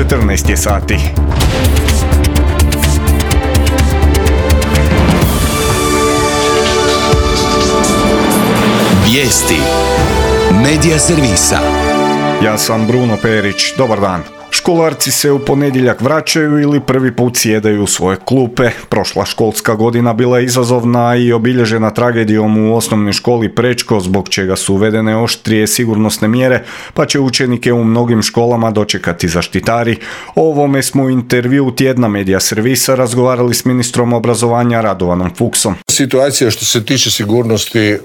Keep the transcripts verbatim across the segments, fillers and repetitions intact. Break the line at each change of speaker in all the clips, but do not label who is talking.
četrnaest je sati.
Vijesti Medija servisa.
Ja sam Bruno Perić, dobar dan. Školarci se u ponedjeljak vraćaju ili prvi put sjedaju u svoje klupe. Prošla školska godina bila je izazovna i obilježena tragedijom u osnovnoj školi Prečko, zbog čega su uvedene oštrije sigurnosne mjere, pa će učenike u mnogim školama dočekati zaštitari. O ovome smo u intervju tjedna Medija servisa razgovarali s ministrom obrazovanja Radovanom Fuchsom.
Situacija što se tiče sigurnosti e,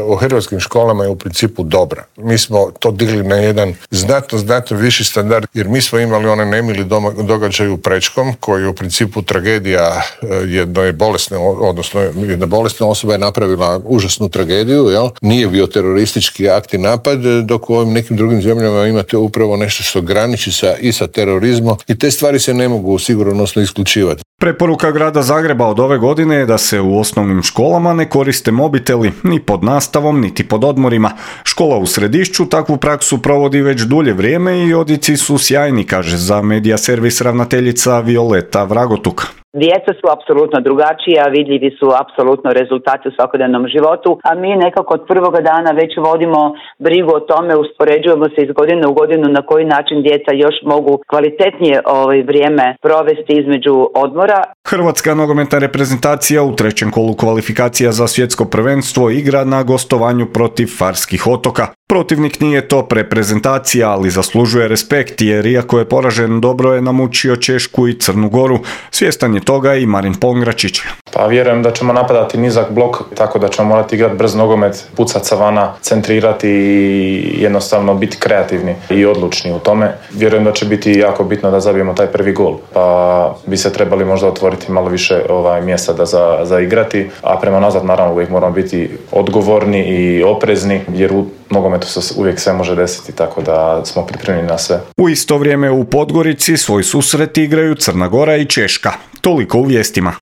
u hrvatskim školama je u principu dobra. Mi smo to digli na jedan znatno, znatno viši standard, jer mi smo imali onaj nemili događaj u Prečkom, koji je u principu tragedija jedne bolesne, odnosno jedna bolesna osoba je napravila užasnu tragediju, jel? Nije bio teroristički akt i napad, dok u ovim nekim drugim zemljama imate upravo nešto što graniči sa, i sa terorizmom i te stvari se ne mogu sigurnosno isključivati.
Preporuka grada Zagreba od ove godine je da se u osnovnim školama ne koriste mobiteli ni pod nastavom, niti pod odmorima. Škola u Središću takvu praksu provodi već dulje vrijeme i odjeci su sjajni, kaže za Medija servis ravnateljica Violeta Vragotuk.
Djeca su apsolutno drugačija, vidljivi su apsolutno rezultati u svakodnevnom životu, a mi nekako od prvoga dana već vodimo brigu o tome, uspoređujemo se iz godine u godinu na koji način djeca još mogu kvalitetnije ovaj vrijeme provesti između odmora.
Hrvatska nogometna reprezentacija u trećem kolu kvalifikacija za svjetsko prvenstvo igra na gostovanju protiv Farskih otoka. Protivnik nije top reprezentacija, ali zaslužuje respekt jer iako je poražen, dobro je namučio Češku i Crnu Goru. Svjestan je toga i Marin Pongračić.
Pa vjerujem da ćemo napadati nizak blok, tako da ćemo morati igrati brz nogomet, pucati sa vana, centrirati i jednostavno biti kreativni i odlučni u tome. Vjerujem da će biti jako bitno da zabijemo taj prvi gol, pa bi se trebali možda otvoriti malo više ovaj, mjesta da za, za igrati, a prema nazad naravno uvijek moramo biti odgovorni i oprezni, jer u nogometu se uvijek sve može desiti, tako da smo pripremljeni na sve.
U isto vrijeme u Podgorici svoj susret igraju Crna Gora i Češka. Toliko u vijestima.